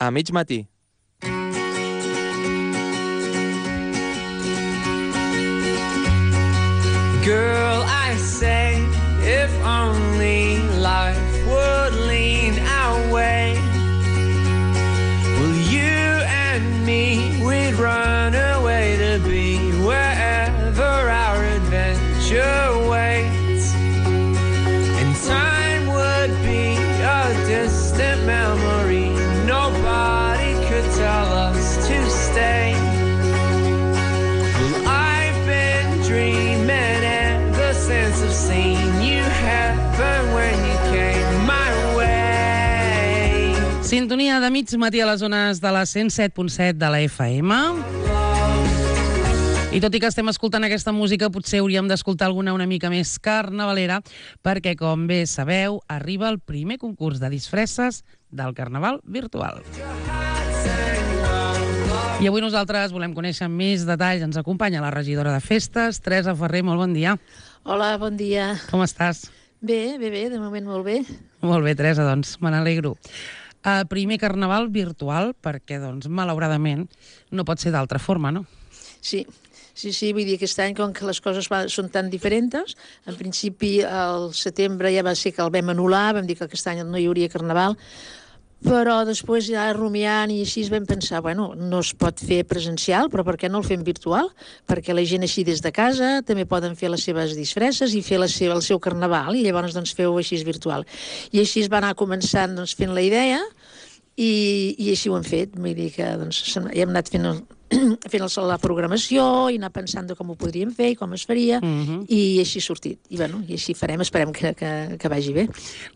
A mig matí. Girl, I say, if only life would lean our way. Well, you and me, we'd run away to be wherever our adventure waits. And time would be a distant memory. Nobody could tell us to stay. Well, I've been dreaming sense of seeing you happen when you came my way. Sintonia de mig matí a les zones de la 107.7 de la FM. I tot i que estem escoltant aquesta música, potser hauríem d'escoltar alguna una mica més carnavalera, perquè, com bé sabeu, arriba el primer concurs de disfresses del Carnaval virtual. I avui nosaltres volem conèixer més detalls. Ens acompanya la regidora de festes, Teresa Ferrer. Molt bon dia. Hola, bon dia. Com estàs? Bé, de moment molt bé. Molt bé, Teresa, doncs me n'alegro. Primer Carnaval virtual, perquè, doncs, malauradament, no pot ser d'altra forma, no? Sí, vull dir, aquest any, com que les coses són tan diferents, en principi, al setembre ja va ser que el vam anul·lar, vam dir que aquest any no hi hauria Carnaval, però després ja rumiant i així vam pensar, bueno, no es pot fer presencial, però per què no el fem virtual? Perquè la gent així des de casa també poden fer les seves disfresses i fer el seu carnaval, i llavors doncs feu així virtual. I així es va anar començant doncs, fent la idea, i així ho hem fet. Vull dir que doncs, ja hem anat fent la programació i anar pensant de com ho podríem fer i com es faria, i així ha sortit. I així farem, esperem que vagi bé.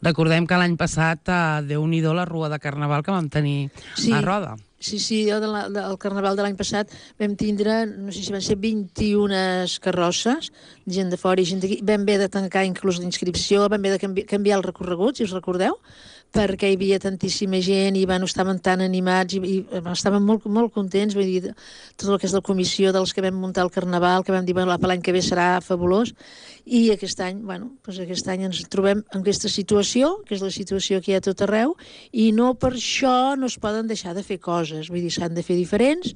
Recordem que l'any passat, Déu-n'hi-do la rua de Carnaval que vam tenir a Roda. Sí, jo del Carnaval de l'any passat vam tindre, no sé si van ser 21 carrosses, gent de fora i gent d'aquí. Vam haver de tancar inclús l'inscripció, vam haver de canviar el recorregut, si us recordeu, perquè hi havia tantíssima gent i estaven tan animats i estaven molt, molt contents. Vull dir, tot el que és la comissió dels que vam muntar el Carnaval, que vam dir, bueno, l'any que ve serà fabulós, i aquest any ens trobem en aquesta situació, que és la situació que hi ha a tot arreu, i no per això no es poden deixar de fer coses. Vull dir, s'han de fer diferents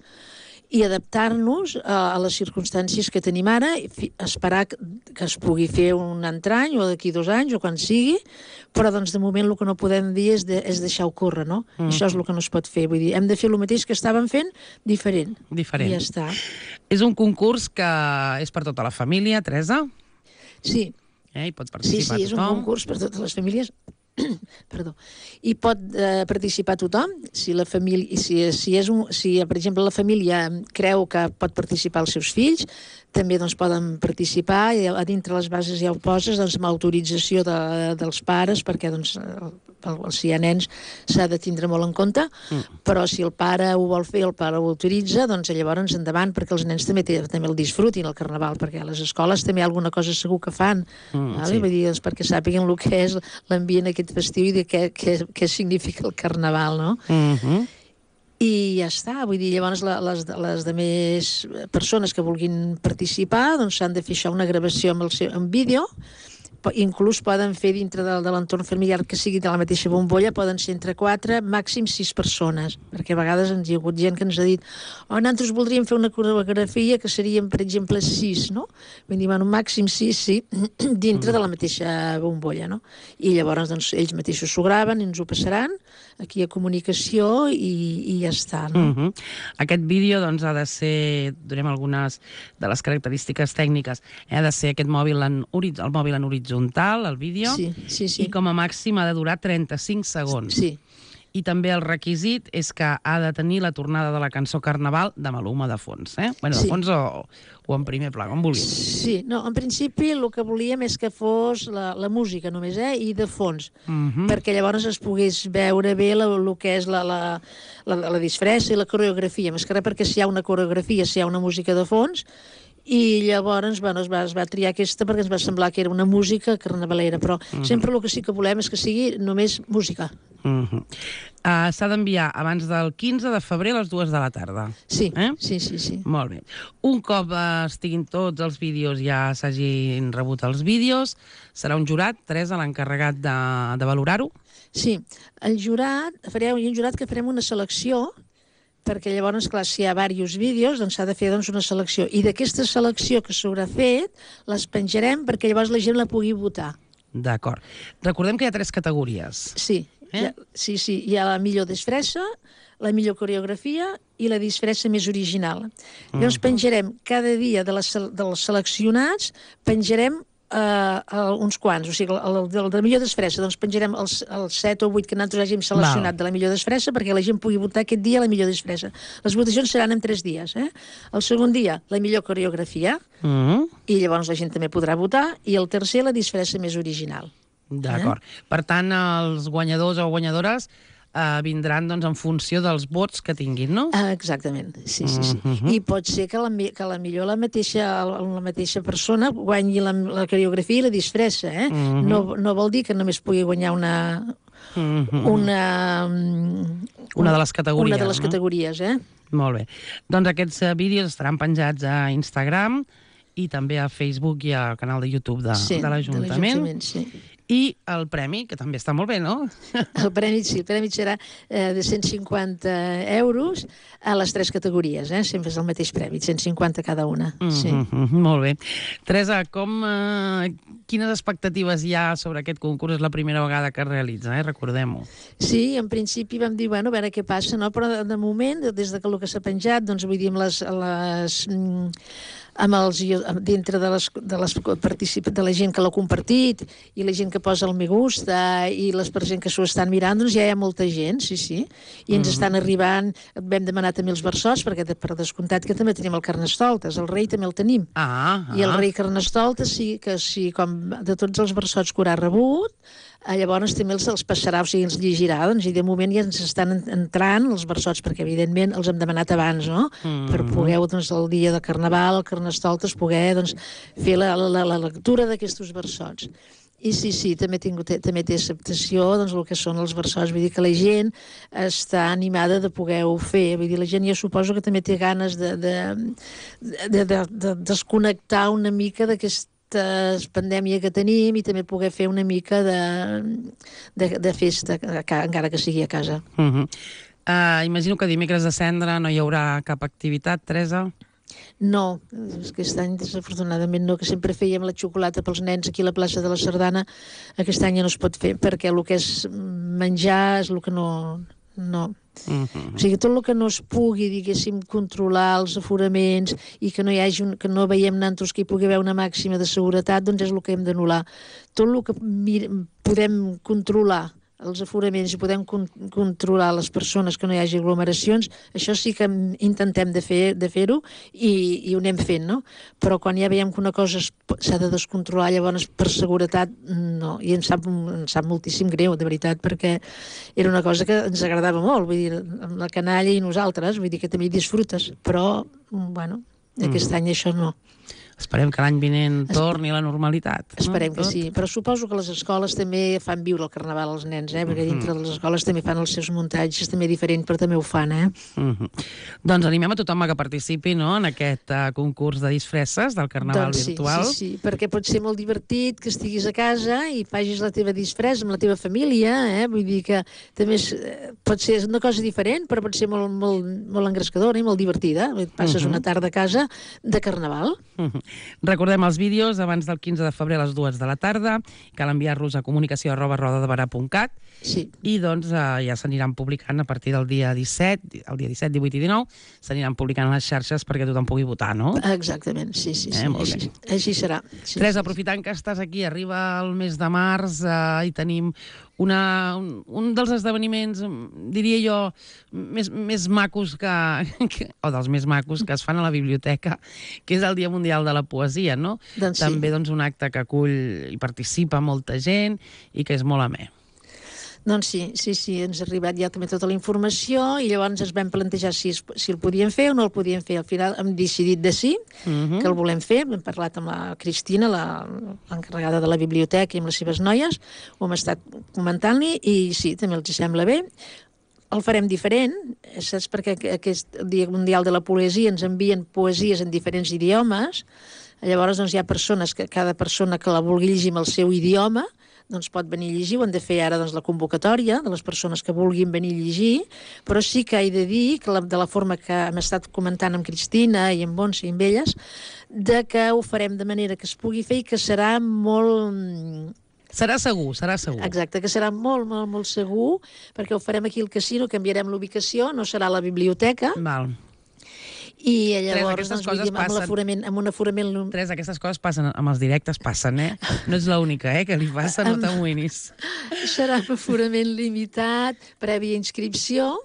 i adaptar-nos a les circumstàncies que tenim ara, esperar que es pugui fer un altre any o d'aquí 2 anys o quan sigui, però doncs de moment el que no podem dir és deixar-ho córrer, no? Això és el que no es pot fer. Vull dir, hem de fer el mateix que estàvem fent, diferent. I ja està. És un concurs que és per tota la família, Teresa? Sí. Hi pot participar tothom? Sí, és un concurs per totes les famílies. Perdó. I pot participar tothom, si la família, si per exemple la família creu que pot participar els seus fills, també doncs poden participar, i a dintre les bases ja ho poses, doncs amb autorització dels pares, perquè doncs si hi ha nens s'ha de tindre molt en compte, però si el pare ho vol fer, el pare ho autoritza, doncs llavors endavant, perquè els nens també el disfrutin el Carnaval, perquè a les escoles també alguna cosa segur que fan, vull dir, doncs, perquè sàpiguen el que és l'ambient aquest festiu i de què significa el Carnaval, no? I ja està, vull dir, llavors les demés persones que vulguin participar doncs s'han de fer això, una gravació en vídeo, inclús poden fer dintre de l'entorn familiar que sigui de la mateixa bombolla, poden ser entre 4, màxim 6 persones, perquè a vegades ens hi ha hagut gent que ens ha dit nosaltres voldríem fer una coreografia que serien, per exemple, 6, no? Vull dir, màxim 6, sí, dintre de la mateixa bombolla, no? I llavors doncs, ells mateixos s'ho graven i ens ho passaran aquí a comunicació i ja està, no? Aquest vídeo doncs ha de ser, donem algunes de les característiques tècniques, ha de ser aquest mòbil el mòbil en horitzontal, el vídeo, i com a màxim ha de durar 35 segons. Sí. I també el requisit és que ha de tenir la tornada de la cançó Carnaval de Maluma de fons, Bueno, de fons o en primer pla, com vulguis. Sí, no, en principi el que volíem és que fos la música només, i de fons, perquè llavors es pogués veure bé el que és la disfressa i la coreografia, més que res perquè si hi ha una coreografia, si hi ha una música de fons, i llavors es va triar aquesta perquè ens va semblar que era una música carnavalera, però sempre el que sí que volem és que sigui només música. S'ha d'enviar abans del 15 de febrer a les 2 de la tarda. Sí. Molt bé. Un cop estiguin tots els vídeos, ja s'hagin rebut els vídeos, serà un jurat, Teresa, l'encarregat de valorar-ho? Sí, el jurat, farem un jurat que farem una selecció, perquè llavors, clar, si hi ha diversos vídeos, doncs s'ha de fer una selecció. I d'aquesta selecció que s'haurà fet, les penjarem perquè llavors la gent la pugui votar. D'acord. Recordem que hi ha 3 categories. Sí, hi ha la millor disfressa, la millor coreografia i la disfressa més original. Llavors penjarem cada dia dels seleccionats, penjarem uns quants, o sigui, el de la millor disfressa, doncs penjarem els 7 o 8 que nosaltres hàgim seleccionat de la millor disfressa perquè la gent pugui votar aquest dia la millor disfressa. Les votacions seran en 3 dies. El segon dia, la millor coreografia, i llavors la gent també podrà votar, i el tercer, la disfressa més original. D'acord. Per tant, els guanyadors o guanyadores vindran en funció dels vots que tinguin, no? Exactament, sí. I pot ser que millor la mateixa persona guanyi la coreografia i la disfressa, No vol dir que només pugui guanyar una de les categories. Una de les categories, Molt bé. Doncs aquests vídeos estaran penjats a Instagram i també a Facebook i al canal de YouTube de l'Ajuntament. Sí. I el premi, que també està molt bé, no? El premi serà de 150 euros a les 3 categories, sempre és el mateix premi, 150 cada una. Molt bé. Teresa, quines expectatives hi ha sobre aquest concurs? És la primera vegada que es realitza, recordem-ho. Sí, en principi vam dir, a veure què passa, no? Però de moment, des de el que s'ha penjat, doncs vull dir, dintre de la gent que l'ha compartit i la gent que posa el me gusta i la gent que s'ho estan mirant, doncs ja hi ha molta gent, sí. I ens estan arribant, vam demanar també els versots, perquè per descomptat que també tenim el Carnestoltes, el rei també el tenim. I el rei Carnestoltes, sí, com de tots els versots que haurà rebut, llavors també els passarà, o sigui, els llegirà, doncs, i de moment ja ens estan entrant els versots, perquè evidentment els hem demanat abans, no? Per poder, doncs, el dia de Carnaval, el Carnestoltes, poder, doncs, fer la lectura d'aquests versots. I sí, també té acceptació, doncs, el que són els versots, vull dir que la gent està animada de poder-ho fer, vull dir, la gent ja suposo que també té ganes de desconnectar una mica d'aquesta pandèmia que tenim i també poder fer una mica de festa, encara que sigui a casa. Imagino que dimecres de Cendra no hi haurà cap activitat, Teresa? No, aquest any desafortunadament no, que sempre fèiem la xocolata pels nens aquí a la plaça de la Sardana, aquest any ja no es pot fer perquè el que és menjar és el que no. O sigui, tot el que no es pugui, diguéssim, controlar els aforaments i que no veiem nantos que hi pugui haver una màxima de seguretat, doncs és el que hem d'anul·lar. Tot el que podem controlar els aforaments i podem controlar les persones, que no hi hagi aglomeracions, això sí que intentem de fer-ho i ho anem fent, no? Però quan ja veiem que una cosa s'ha de descontrolar, llavors per seguretat no, i em sap moltíssim greu, de veritat, perquè era una cosa que ens agradava molt, vull dir, amb la canalla i nosaltres, vull dir que també hi disfrutes, però, bueno, aquest any això no. Esperem que l'any vinent torni a la normalitat. Esperem que sí, però suposo que les escoles també fan viure el Carnaval als nens, perquè dintre de les escoles també fan els seus muntatges també diferents, però també ho fan, Doncs animem a tothom que participi, no?, en aquest concurs de disfresses del Carnaval virtual. Sí, perquè pot ser molt divertit que estiguis a casa i facis la teva disfressa amb la teva família, vull dir que també pot ser una cosa diferent, però pot ser molt engrescadora i molt divertida. Passes una tarda a casa de Carnaval. Recordem els vídeos abans del 15 de febrer a les 2 de la tarda. Cal enviar-los a comunicació@rodadebarà.cat i doncs ja s'aniran publicant a partir del dia 17, 18 i 19, s'aniran publicant a les xarxes perquè tothom pugui votar, no? Exactament, sí. Així serà. Teresa, aprofitant que estàs aquí, arriba el mes de març i tenim un dels esdeveniments, diria jo, més macos o dels més macos que es fan a la biblioteca, que és el Dia Mundial de la Poesia, no? També un acte que acull i participa molta gent i que és molt amè. Doncs sí, ens ha arribat ja també tota la informació i llavors ens vam plantejar si el podíem fer o no el podíem fer. Al final hem decidit de sí, que el volem fer. Hem parlat amb la Cristina, l'encarregada de la biblioteca, i amb les seves noies, ho hem estat comentant-li i sí, també els sembla bé. El farem diferent, saps? Perquè aquest Dia Mundial de la Poesia ens envien poesies en diferents idiomes. Llavors doncs, hi ha persones que cada persona que la vulgui llegir amb el seu idioma doncs pot venir a llegir, ho han de fer ara doncs, la convocatòria de les persones que vulguin venir a llegir, però sí que he de dir que de la forma que hem estat comentant amb Cristina i amb Montse i amb elles, de que ho farem de manera que es pugui fer i que serà molt... Serà segur, serà segur. Exacte, que serà molt, molt, molt segur, perquè ho farem aquí al casino, canviarem l'ubicació, no serà a la biblioteca. Val. I llavors, doncs, vull dir, amb un aforament... Teresa, aquestes coses passen, amb els directes passen, eh? No ets l'única, que li passa, no t'amoïnis. Serà amb aforament limitat, prèvia inscripció,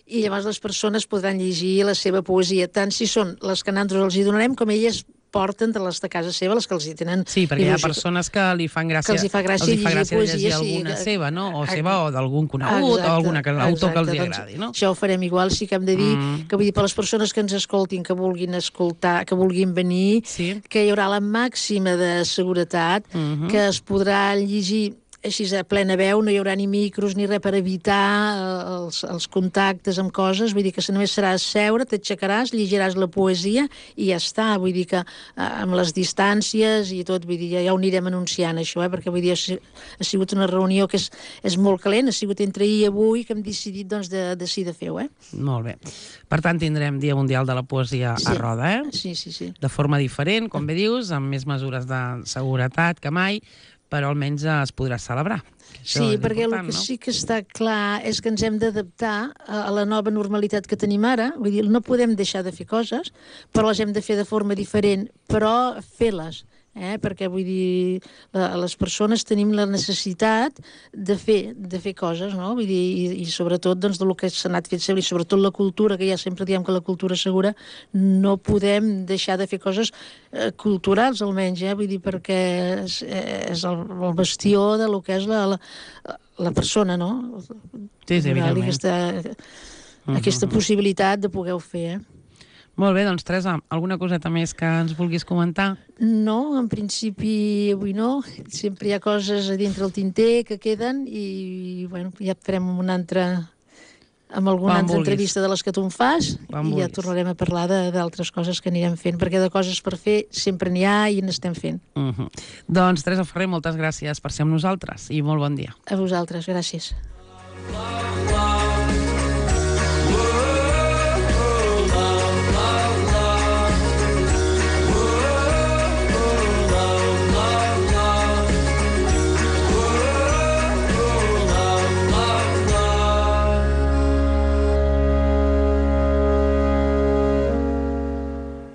i llavors les persones podran llegir la seva poesia, tant si són les que nosaltres els hi donarem, com elles porten de les de casa seva, les que els hi tenen... Sí, perquè hi ha persones que li fan gràcia, els hi fa gràcia llegir alguna seva, no? O seva o d'algun conegut, o algun autor que els hi agradi, no? Això ho farem igual, sí que hem de dir que, vull dir, per les persones que ens escoltin, que vulguin escoltar, que vulguin venir, que hi haurà la màxima de seguretat, que es podrà llegir així a plena veu, no hi haurà ni micros ni res per evitar els contactes amb coses, vull dir que només serà seure, t'aixecaràs, llegiràs la poesia i ja està, vull dir que amb les distàncies i tot, vull dir, ja ho anirem anunciant això, perquè vull dir, ha sigut una reunió que és molt calent, ha sigut entre ahir i avui que hem decidit doncs de fer-ho, Molt bé. Per tant, tindrem Dia Mundial de la Poesia a Roda, Sí, sí, sí. De forma diferent, com bé dius, amb més mesures de seguretat que mai, però almenys es podrà celebrar. Sí, perquè el que sí que està clar és que ens hem d'adaptar a la nova normalitat que tenim ara. Vull dir, no podem deixar de fer coses, però les hem de fer de forma diferent, però fer-les. Perquè, vull dir, les persones tenim la necessitat de fer coses, no? Vull dir, i sobretot doncs, del que s'ha anat fent sempre, i sobretot la cultura, que ja sempre diem que la cultura segura, no podem deixar de fer coses culturals, almenys, vull dir, perquè és el bastió de lo que és la persona, no? Sí, evidentment. Aquesta possibilitat de poder-ho fer, Molt bé, doncs Teresa, alguna coseta més que ens vulguis comentar? No, en principi avui no. Sempre hi ha coses a dintre el tinter que queden i bueno, ja farem amb alguna altra entrevista de les que tu em fas i ja tornarem a parlar d'altres coses que anirem fent, perquè de coses per fer sempre n'hi ha i n'estem fent. Doncs Teresa Ferrer, moltes gràcies per ser amb nosaltres i molt bon dia. A vosaltres, gràcies.